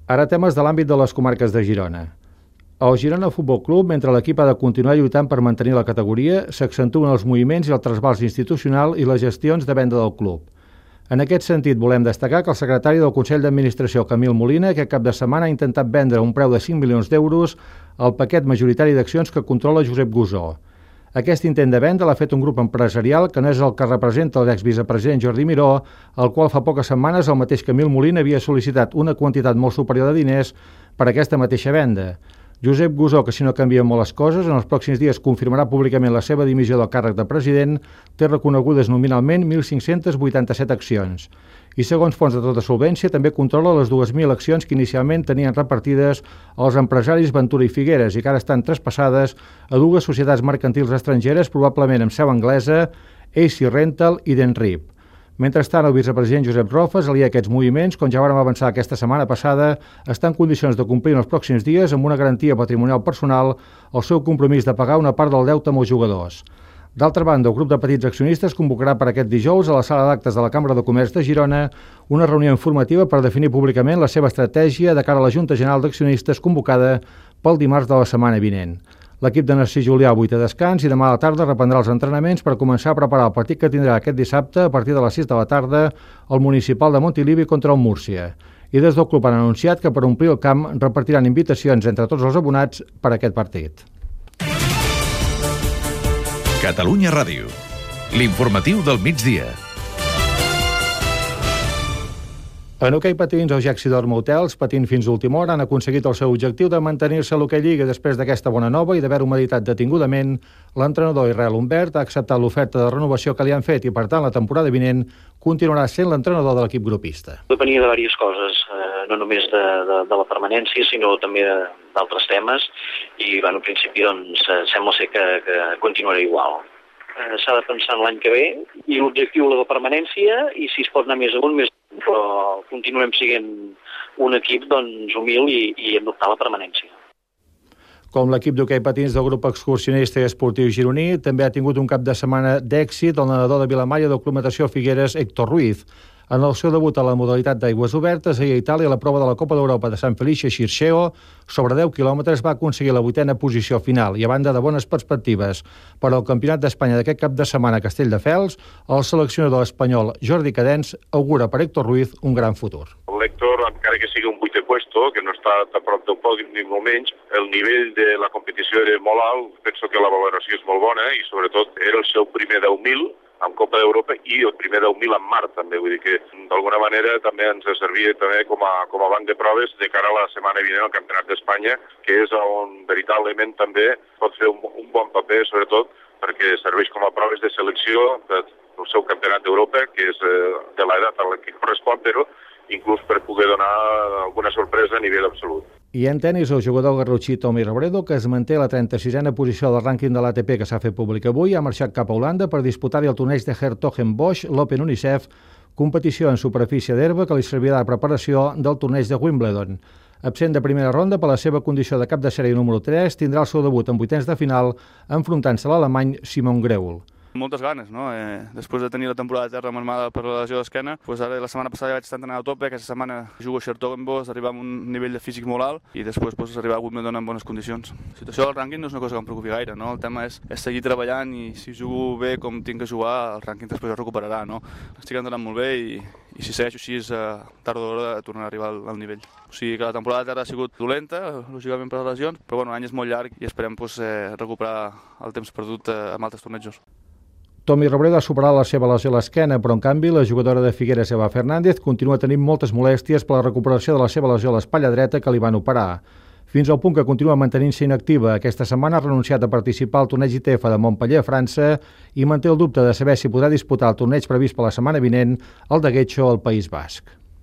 Ara temes de l'àmbit de les comarques de Girona. Al Girona Futbol Club, mentre l'equip ha de continuar lluitant per mantenir la categoria, s'accentuen els moviments i el trasbals institucional i les gestions de venda del club. En aquest sentit, volem destacar que el secretari del Consell d'Administració, Camil Molina, aquest cap de setmana ha intentat vendre a un preu de 5 milions d'euros el paquet majoritari d'accions que controla Josep Gusó. Aquest intent de venda l'ha fet un grup empresarial que no és el que representa l'exvicepresident Jordi Miró, al qual fa poques setmanes el mateix Camil Molina havia sol·licitat una quantitat molt superior de diners per aquesta mateixa venda. Josep Gusó, que si no canvien molt les coses, en els pròxims dies confirmarà públicament la seva dimissió del càrrec de president, té reconegudes nominalment 1.587 accions. I segons fonts de tota solvència, també controla les 2.000 accions que inicialment tenien repartides als empresaris Ventura i Figueres i que ara estan traspassades a dues societats mercantils estrangeres, probablement amb seu anglesa, AC Rental i Denrip. Mentrestant, el vicepresident Josep Rofes, aliat a aquests moviments, com ja vàrem avançar aquesta setmana passada, està en condicions de complir en els pròxims dies amb una garantia patrimonial personal el seu compromís de pagar una part del deute amb els jugadors. D'altra banda, el grup de petits accionistes convocarà per aquest dijous a la sala d'actes de la Cambra de Comerç de Girona una reunió informativa per definir públicament la seva estratègia de cara a la Junta General d'Accionistes convocada pel dimarts de la setmana vinent. L'equip de Narcís Julià avui té descans i demà a la tarda reprendrà els entrenaments per començar a preparar el partit que tindrà aquest dissabte a partir de les 6 de la tarda al municipal de Montilivi contra el Múrcia. I des del club han anunciat que per omplir el camp repartiran invitacions entre tots els abonats per a aquest partit. Catalunya Ràdio, l'informatiu del migdia. En hoquei patins, els Jaxidor Motels, patint fins a última hora, han aconseguit el seu objectiu de mantenir-se a l'hoquei Lliga després d'aquesta bona nova i d'haver-ho meditat detingudament. L'entrenador Israel Humbert ha acceptat l'oferta de renovació que li han fet i, per tant, la temporada vinent continuarà sent l'entrenador de l'equip grupista. Depenia de diverses coses, no només de la permanència, sinó també d'altres temes, i en principi doncs, sembla ser que continuarà igual. S'ha de pensar en l'any que ve, i l'objectiu la de permanència, i si es pot anar més amunt, més però continuem sent un equip doncs, humil i hem d'optar a la permanència. Com l'equip d'hoquei patins del grup excursionista i esportiu gironí, també ha tingut un cap de setmana d'èxit el nedador de Vilamalla del Club Natació Figueres, Héctor Ruiz. En el seu debut a la modalitat d'aigües obertes, ahir a Itàlia, la prova de la Copa d'Europa de Sant Felice Xirxeo, sobre 10 quilòmetres va aconseguir la 8a posició final i a banda de bones perspectives per al Campionat d'Espanya d'aquest cap de setmana a Castelldefels, el seleccionador espanyol Jordi Cadens augura per Héctor Ruiz un gran futur. L'Héctor, encara que sigui un 8è puesto, que no està a prop del pòdium ni molt menys, el nivell de la competició era molt alt, penso que la valoració és molt bona i sobretot era el seu primer 10.000 amb Copa d'Europa i el primer 10.000 en mar també, vull dir que d'alguna manera també ens servia també com a banc de proves de cara a la setmana vinent al Campionat d'Espanya, que és on veritablement també pot fer un bon paper, sobretot perquè serveix com a proves de selecció del seu Campionat d'Europa, que és de l'edat a la que correspon, però inclús per poder donar alguna sorpresa a nivell absolut. I en tenis, el jugador garrotxí Tommy Robredo, que es manté a la 36a posició del rànquing de l'ATP que s'ha fet públic avui, ha marxat cap a Holanda per disputar-hi el torneig de Hertogenbosch, l'Open Unicef, competició en superfície d'herba que li servirà de preparació del torneig de Wimbledon. Absent de primera ronda per la seva condició de cap de sèrie número 3, tindrà el seu debut en vuitens de final enfrontant-se a l'alemany Simon Greul. Moltes ganes, no? Després de tenir la temporada de terra marmada per la lesió d'esquena, ara la setmana passada ja vaig estar entrenant a tope, aquesta setmana jugo a Hertogenbosch, arribar a un nivell de físic molt alt i després arribar a Wimbledon en bones condicions. La situació del rànquing no és una cosa que em preocupi gaire, no? El tema és seguir treballant i si jugo bé com tinc que jugar, el rànquing després es recuperarà, no? Estic entrenant molt bé i si segueixo així, tard o d'hora tornarà a arribar al nivell. O sigui que la temporada de terra ha sigut dolenta, lògicament per les lesions, però l'any és molt llarg i esperem recuperar el temps perdut amb altres tornejos. Tommy Robredo ha superat la seva lesió a l'esquena, però en canvi la jugadora de Figueres, Eva Fernández, continua tenint moltes molèsties per la recuperació de la seva lesió a l'espatlla dreta que li van operar. Fins al punt que continua mantenint-se inactiva. Aquesta setmana ha renunciat a participar al torneig ITF de Montpellier, a França, i manté el dubte de saber si podrà disputar el torneig previst per la setmana vinent, el de Getxo, al País Basc.